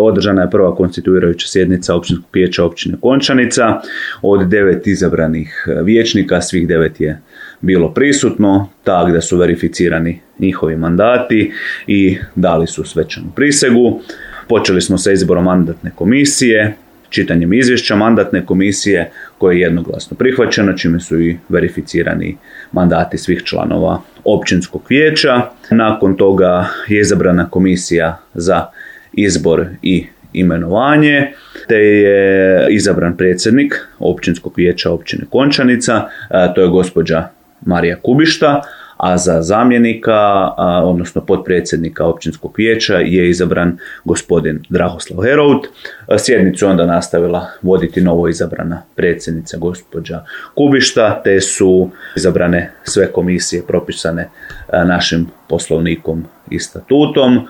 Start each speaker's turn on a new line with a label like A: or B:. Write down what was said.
A: održana je prva konstituirajuća sjednica Općinskog vijeća općine Končanica. Od 9 izabranih vijećnika, svih 9 je bilo prisutno, tako da su verificirani njihovi mandati i dali su svečanu prisegu. Počeli smo sa izborom mandatne komisije, čitanjem izvješća mandatne komisije koje je jednoglasno prihvaćeno, čime su i verificirani mandati svih članova općinskog vijeća. Nakon toga je izabrana komisija za izbor i imenovanje, te je izabran predsjednik općinskog vijeća općine Končanica, to je gospođa Marija Kubišta, a za zamjenika, odnosno potpredsjednika općinskog vijeća je izabran gospodin Drahoslav Herout. Sjednicu onda nastavila voditi novo izabrana predsjednica gospođa Kubišta, te su izabrane sve komisije propisane našim poslovnikom i statutom.